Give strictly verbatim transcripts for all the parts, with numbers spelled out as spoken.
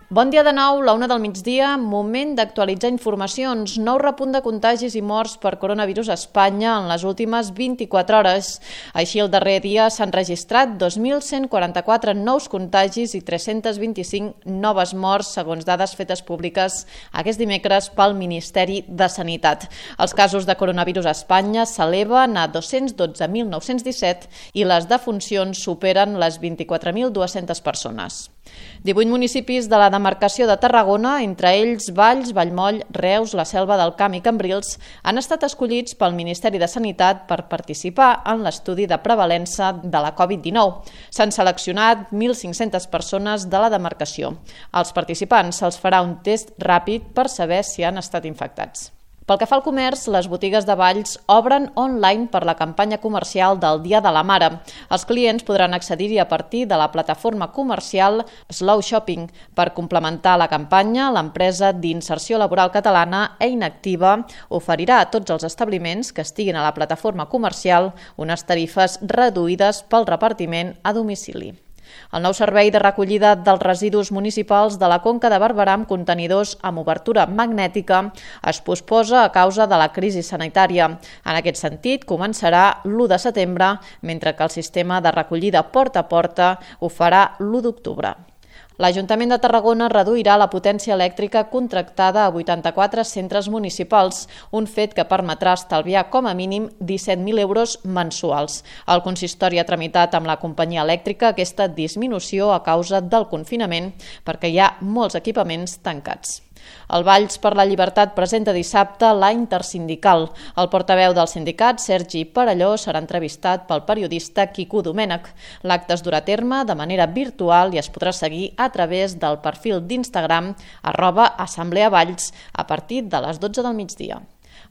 Bon dia de nou, la una del migdia, moment d'actualitzar informacions. Nou repunt de contagis i morts per coronavirus a Espanya en les últimes vint-i-quatre hores. Així, el darrer dia s'han registrat dos mil cent quaranta-quatre nous contagis i tres-cents vint-i-cinc noves morts, segons dades fetes públiques aquest dimecres pel Ministeri de Sanitat. Els casos de coronavirus a Espanya s'eleven a dos-cents dotze mil nou-cents disset i les defuncions superen les vint-i-quatre mil dues-centes persones. divuit municipis de la demarcació de Tarragona, entre ells Valls, Vallmoll, Reus, la Selva del Camp i Cambrils, han estat escollits pel Ministeri de Sanitat per participar en l'estudi de prevalença de la covid dinou. S'han seleccionat mil cinc-centes persones de la demarcació. Als participants se'ls farà un test ràpid per saber si han estat infectats. Pel que fa al comerç, les botigues de Valls obren online per la campanya comercial del Dia de la Mare. Els clients podran accedir-hi a partir de la plataforma comercial Slow Shopping. Per complementar la campanya, l'empresa d'inserció laboral catalana Eina Activa oferirà a tots els establiments que estiguin a la plataforma comercial unes tarifes reduïdes pel repartiment a domicili. El nou servei de recollida dels residus municipals de la Conca de Barberà amb contenidors amb obertura magnètica es posposa a causa de la crisi sanitària. En aquest sentit, començarà l'u de setembre, mentre que el sistema de recollida porta a porta ho farà l'u d'octubre. L'Ajuntament de Tarragona reduirà la potència elèctrica contractada a vuitanta-quatre centres municipals, un fet que permetrà estalviar com a mínim disset mil euros mensuals. El consistori ha tramitat amb la companyia elèctrica aquesta disminució a causa del confinament perquè hi ha molts equipaments tancats. El Valls per la Llibertat presenta dissabte la Intersindical. El portaveu del sindicat, Sergi Perelló, serà entrevistat pel periodista Quico Domènech. L'acte es durà a terme de manera virtual i es podrà seguir a través del perfil d'Instagram arroba Assemblea Valls a partir de les dotze del migdia.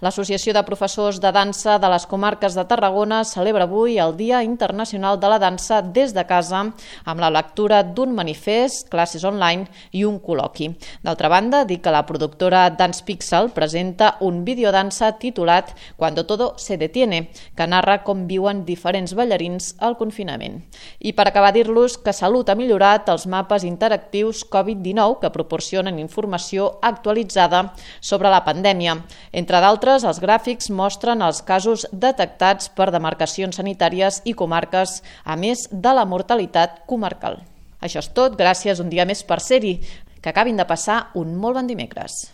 L'Associació de Professors de Dansa de les Comarques de Tarragona celebra avui el Dia Internacional de la Dansa des de casa amb la lectura d'un manifest, classes online i un col·loqui. D'altra banda, dic que la productora Dance Pixel presenta un videodansa titulat Cuando todo se detiene, que narra com viuen diferents ballarins al confinament. I per acabar dir-los que Salut ha millorat els mapes interactius covid dinou que proporcionen informació actualitzada sobre la pandèmia. Entre d'altres, els gràfics mostren els casos detectats per demarcacions sanitàries i comarques, a més de la mortalitat comarcal. Això és tot, gràcies un dia més per ser-hi. Que acabin de passar un molt bon dimecres.